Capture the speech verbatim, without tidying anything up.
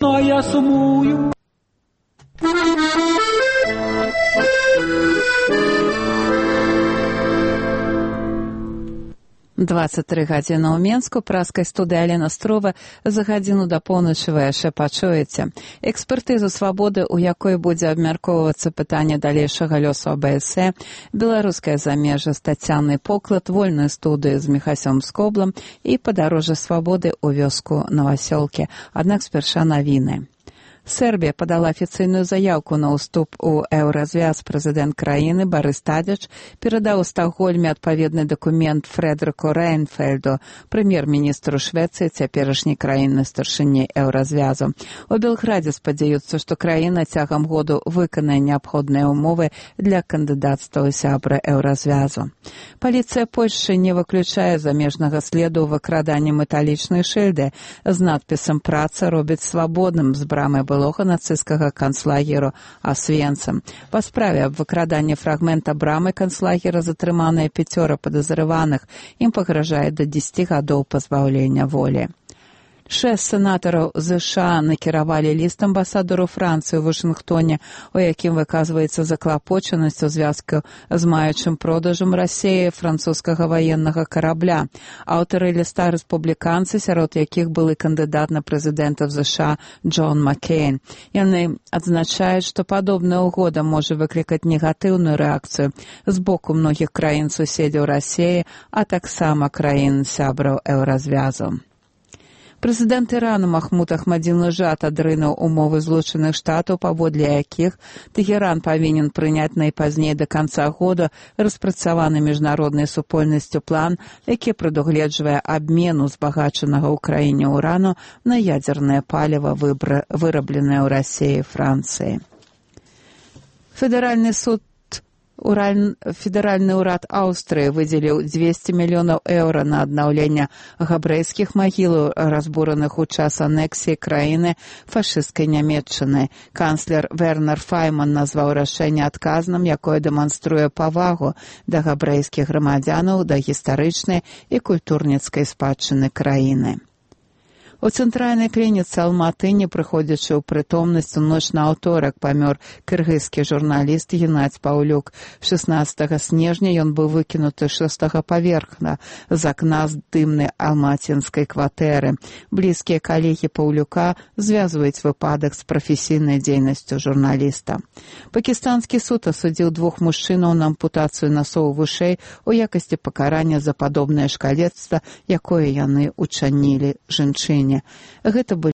А я сумую. двадцать тры гадзіны ў Менску, праскай студыі Алена Строва. За гадзіну да поўначы вы яшчэ пачуеце экспертызу свабоды, у якой будзе абмяркоўвацца пытанне далейшага лёсу АБС, беларускае замежжа з Тацянай Поклад, вольную студыю з Міхасём Скоблам і падарожжа свабоды ў вёску Новасёлкі. Аднак спярша навіны. Сербія падала афіцыйную заяўку на ўступ у еўразвяз. Прэзідэнт краіны Барыс Тадзіч перадаў у Стакгольме адпаведны дакумент Фрэдэрыку Рэйнфельду, прэм'ер-міністру Швецыі, цяперашняй краіны старшыні еўразвязу. У Белградзе спадзяюцца, што краіна цягам году выканае неабходныя ўмовы для кандыдацтва ў сябры еўразвязу. Паліцыя Польшчы не выключае замежнага следу ў выкраданні металічнай шыльды з надпісам «Праца робіць свабодным» з брамы былога нацысцкага канцлагеру Асвенцым. Па справе аб выкраданні фрагмента брамы канцлагера затрыманыя пяцёра падазраваных. Ім пагражае да дзесяці гадоў пазбаўлення волі. Шэсць сенатараў ЗША накіравалі ліст амбасадару Францыі ў Вашынгтоне, у якім выказваецца заклапочанасць у звязку з маючым продажам Расіі французскага ваеннага карабля. Аўтары ліста рэспубліканцы, сярод якіх былы кандыдат на прэзідэнта ЗША Джон Маккейн. Яны адзначаюць, што падобная ўгода можа выклікаць негатыўную рэакцыю з боку многіх краін-суседзяў Расіі, а таксама краін-сябраў еўразвязу. Прэзідэнт Ірану Махмуд Ахмадзінеджад адрынуў умовы Злучаных Штатаў, паводле якіх Тэгеран павінен прыняць найпазней да канца года распрацаваны міжнароднай супольнасцю план, які прадугледжвае абмен узбагачанага ў краіне ўрану на ядзернае паліва, вырабленае ў Расіі і Францыі. Федэральны суд Федэральны ўрад Аўстрыі выдзеліў дзвесце мільёнаў еўра на аднаўленне габрэйскіх магілаў, разбураных у час анексіі краіны фашысцкай Нямецчыны. Канцлер Вернер Файман назваў рашэнне адказным, якое дэманструе павагу да габрэйскіх грамадзянаў, да гістарычнай і культурніцкай спадчыны краіны. У цэнтральнай клініцы Алматы, не прыходзячы ў прытомнасць, у ноч на аўторак памёр кыргызскі журналіст Геннадзь Паўлюк. шаснаццатага снежня ён быў выкінуты з шостага паверхна з акна з дымнай алмацінскай кватэры. Блізкія калегі Паўлюка звязваюць выпадак з прафесійнай дзейнасцю журналіста. Пакістанскі суд асудзіў двух мужчынаў на ампутацыю насоў вушэй у якасці пакарання за падобнае шкалецтва, якое яны учынілі жанчыне. Гэта былі